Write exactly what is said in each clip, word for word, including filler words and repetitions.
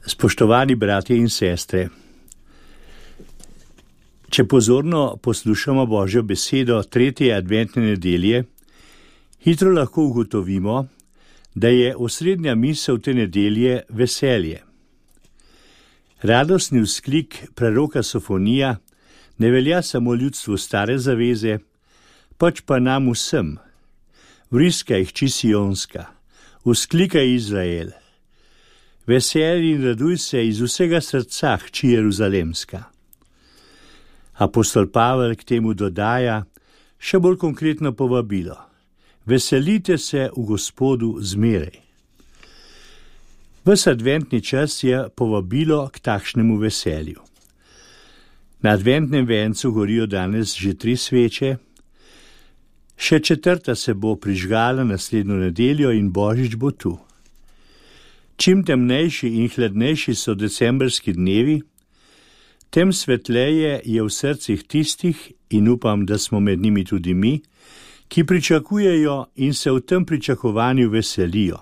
Spoštovani bratje in sestre, če pozorno poslušamo Božjo besedo tretje adventne nedelje, hitro lahko ugotovimo, da je osrednja misel te nedelje veselje. Radostni vzklik preroka Sofonija ne velja samo ljudstvu stare zaveze, pač pa nam vsem. Vriskaj, hči Sionska, vzklikaj Izrael. Veseli in raduj se iz vsega srca, hči Jeruzalemska. Apostol Pavel k temu dodaja še bolj konkretno povabilo. Veselite se v Gospodu zmeraj. Ves adventni čas je povabilo k takšnemu veselju. Na adventnem vencu gorijo danes že tri sveče, še četrta se bo prižgala naslednjo nedeljo in Božič bo tu. Čim temnejši in hladnejši so decembrski dnevi, tem svetleje je v srcih tistih, in upam, da smo med njimi tudi mi, ki pričakujejo in se v tem pričakovanju veselijo.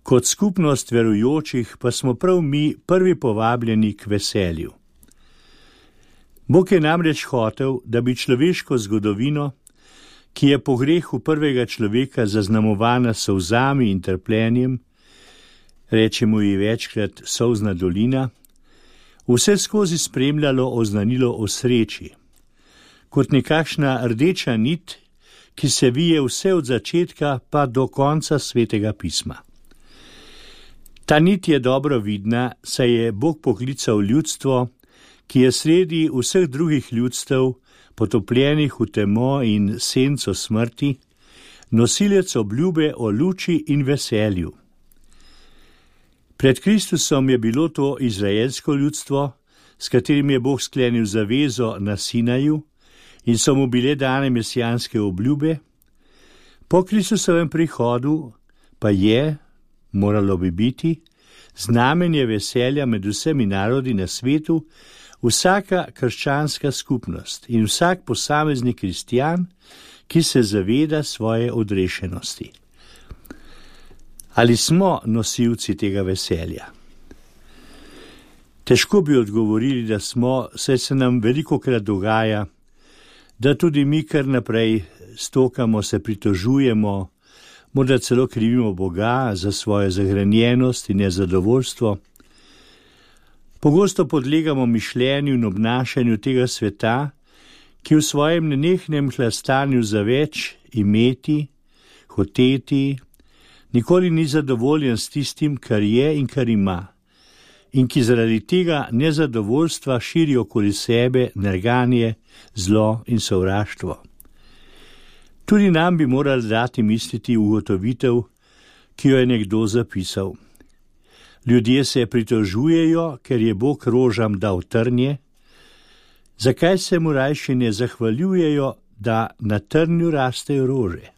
Kot skupnost verujočih pa smo prav mi prvi povabljeni k veselju. Bog je namreč hotel, da bi človeško zgodovino, ki je po grehu prvega človeka zaznamovana s solzami in trpljenjem, rečemo ji večkrat solzna dolina, vse skozi spremljalo oznanilo o sreči, kot nekakšna rdeča nit, ki se vije vse od začetka pa do konca Svetega pisma. Ta nit je dobro vidna, saj je Bog poklical ljudstvo, ki je sredi vseh drugih ljudstev, potopljenih v temo in senco smrti, nosilec obljube o luči in veselju. Pred Kristusom je bilo to izraelsko ljudstvo, s katerim je Bog sklenil zavezo na Sinaju in so mu bile dane mesijanske obljube. Po Kristusovem prihodu pa je, moralo bi biti, znamenje veselja med vsemi narodi na svetu, vsaka krščanska skupnost in vsak posamezni kristjan, ki se zaveda svoje odrešenosti. Ali smo nosilci tega veselja? Težko bi odgovorili, da smo, saj se nam velikokrat dogaja, da tudi mi kar naprej stokamo, se pritožujemo, morda celo krivimo Boga za svojo zahranjenost in nezadovoljstvo. Pogosto podlegamo mišljenju in obnašanju tega sveta, ki v svojem nenehnem hlastanju za več imeti, hoteti, nikoli ni zadovoljen s tistim, kar je in kar ima, in ki zaradi tega nezadovoljstva širi okoli sebe nerganje, zlo in sovraštvo. Tudi nam bi morali dati misliti ugotovitev, ki jo je nekdo zapisal. Ljudje se pritožujejo, ker je Bog rožam dal trnje, zakaj se mu rajši ne zahvaljujejo, da na trnju rastejo rože?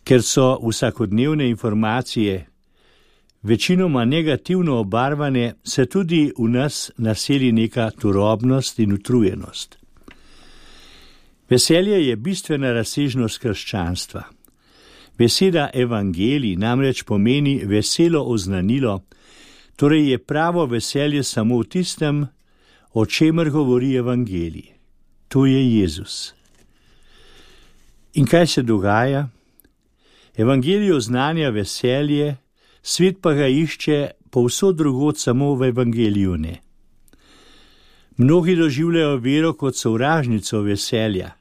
Ker so vsakodnevne informacije večinoma negativno obarvane, se tudi v nas naseli neka turobnost in utrujenost. Veselje je bistvena razsežnost krščanstva. Beseda evangelij namreč pomeni veselo oznanilo, torej je pravo veselje samo v tistem, o čemer govori evangelij. To je Jezus. In kaj se dogaja? Evangelij oznanja veselje, svet pa ga išče povsod drugod, samo v evangeliju ne. Mnogi doživljajo vero kot sovražnico veselja,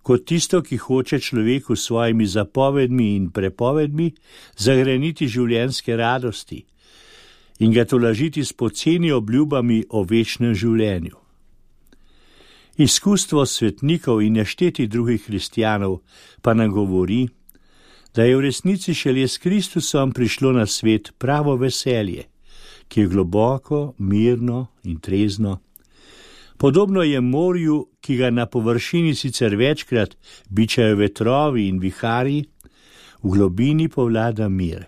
kot tisto, ki hoče človeku s svojimi zapovedmi in prepovedmi zagreniti življenjske radosti in ga tolažiti s poceni obljubami o večnem življenju. Izkustvo svetnikov in nešteti drugih kristjanov pa nam govori, da je v resnici šele s Kristusom prišlo na svet pravo veselje, ki je globoko, mirno in trezno. Podobno je morju, ki ga na površini sicer večkrat bičajo vetrovi in viharji, v globini povlada mir.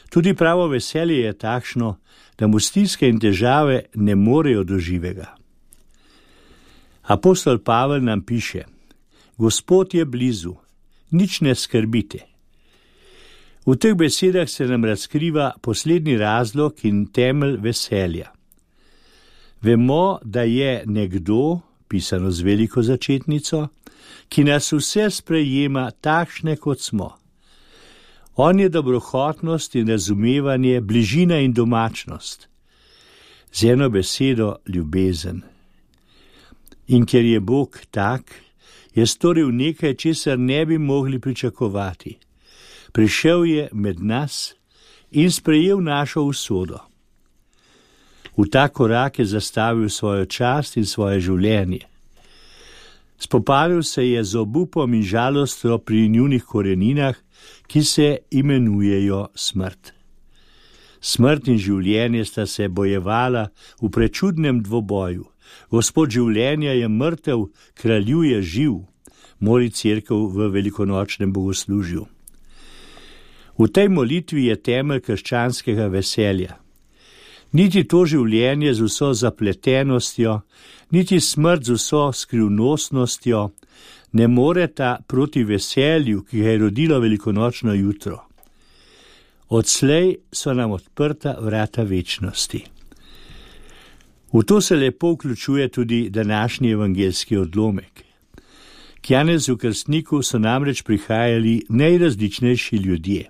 Tudi pravo veselje je takšno, da mu stiske in težave ne morejo do živega. Apostol Pavel nam piše: Gospod je blizu, nič ne skrbite. V teh besedah se nam razkriva poslednji razlog in temelj veselja. Vemo, da je nekdo, pisano z veliko začetnico, ki nas vse sprejema takšne, kot smo. On je dobrohotnost in razumevanje, bližina in domačnost. Z eno besedo ljubezen. In ker je Bog tak, je storil nekaj, česar ne bi mogli pričakovati. Prišel je med nas in sprejel našo usodo. V ta korak je zastavil svojo čast in svoje življenje. Spopadil se je z obupom in žalostjo pri njunih koreninah, ki se imenujejo smrt. Smrt in življenje sta se bojevala v prečudnem dvoboju. Gospod življenja je mrtev, kralju je živ, moli cerkev v velikonočnem bogoslužju. V tej molitvi je temelj krščanskega veselja. Niti to življenje z vso zapletenostjo, niti smrt z vso skrivnostnostjo ne moreta proti veselju, ki ga je rodilo velikonočno jutro. Odslej so nam odprta vrata večnosti. V to se lepo vključuje tudi današnji evangeljski odlomek. K Janezu Krstniku so namreč prihajali najrazličnejši ljudje.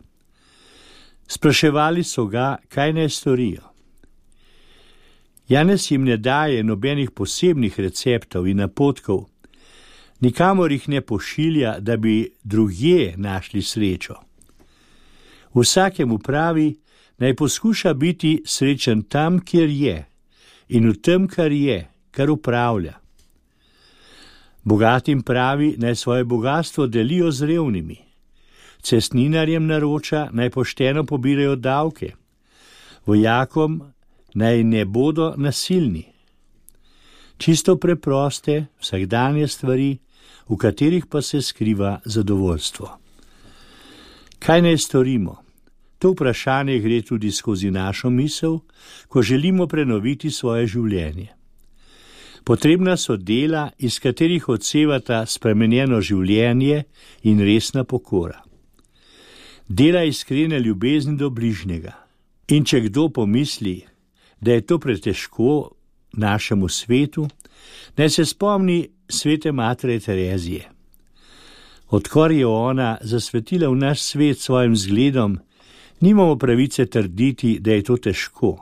Spraševali so ga, kaj naj storijo. Janez jim ne daje nobenih posebnih receptov in napotkov, nikamor jih ne pošilja, da bi drugje našli srečo. Vsakemu pravi, naj poskuša biti srečen tam, kjer je, in v tem, kar je, kar upravlja. Bogatim pravi, naj svoje bogastvo delijo z revnimi. Cestninarjem naroča, naj pošteno pobirajo davke. Vojakom naj ne bodo nasilni. Čisto preproste, vsakdanje stvari, v katerih pa se skriva zadovoljstvo. Kaj naj storimo? To vprašanje gre tudi skozi našo misel, ko želimo prenoviti svoje življenje. Potrebna so dela, iz katerih odsevata spremenjeno življenje in resna pokora. Dela iskrene ljubezni do bližnjega. In če kdo pomisli, da je to pretežko našemu svetu, naj se spomni svete Matere Terezije. Odkar je ona zasvetila v naš svet svojim zgledom, nimamo pravice trditi, da je to težko.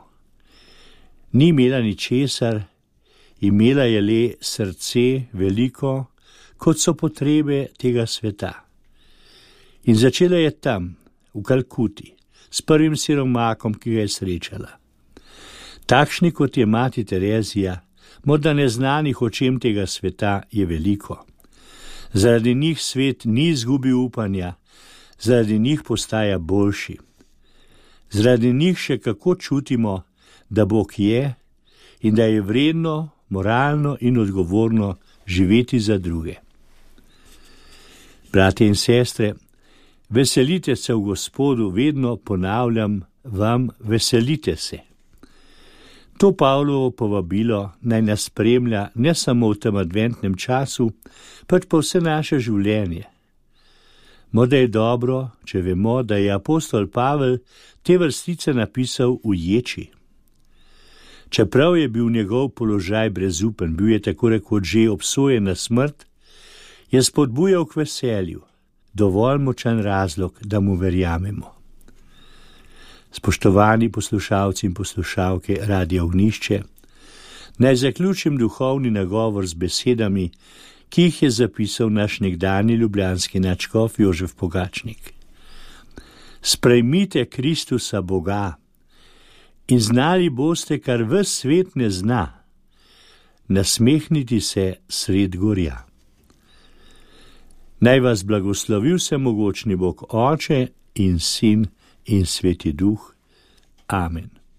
Ni imela ničesar, imela je le srce veliko, kot so potrebe tega sveta. In začela je tam, v Kalkuti, s prvim siromakom, ki ga je srečala. Takšni, kot je mati Terezija, morda neznanih očem tega sveta, je veliko. Zaradi njih svet ni izgubil upanja, zaradi njih postaja boljši. Zaradi njih še kako čutimo, da Bog je in da je vredno, moralno in odgovorno živeti za druge. Bratje in sestre, veselite se v Gospodu, vedno ponavljam vam, veselite se. To Pavlovo povabilo naj nas spremlja ne samo v tem adventnem času, pač pa vse naše življenje. Morda je dobro, če vemo, da je apostol Pavel te vrstice napisal v ječi. Čeprav je bil njegov položaj brezupen, bil je tako rekoč že obsojen na smrt, je spodbujal k veselju, dovolj močan razlog, da mu verjamemo. Spoštovani poslušalci in poslušalke Radia Ognjišče, naj zaključim duhovni nagovor z besedami, ki jih je zapisal naš nekdanji ljubljanski nadškof Jožef Pogačnik. Sprejmite Kristusa Boga in znali boste, kar ves svet ne zna, nasmehniti se sred gorja. Naj vas blagoslovi vsemogočni Bog Oče in Sin in Sveti Duh. Amen.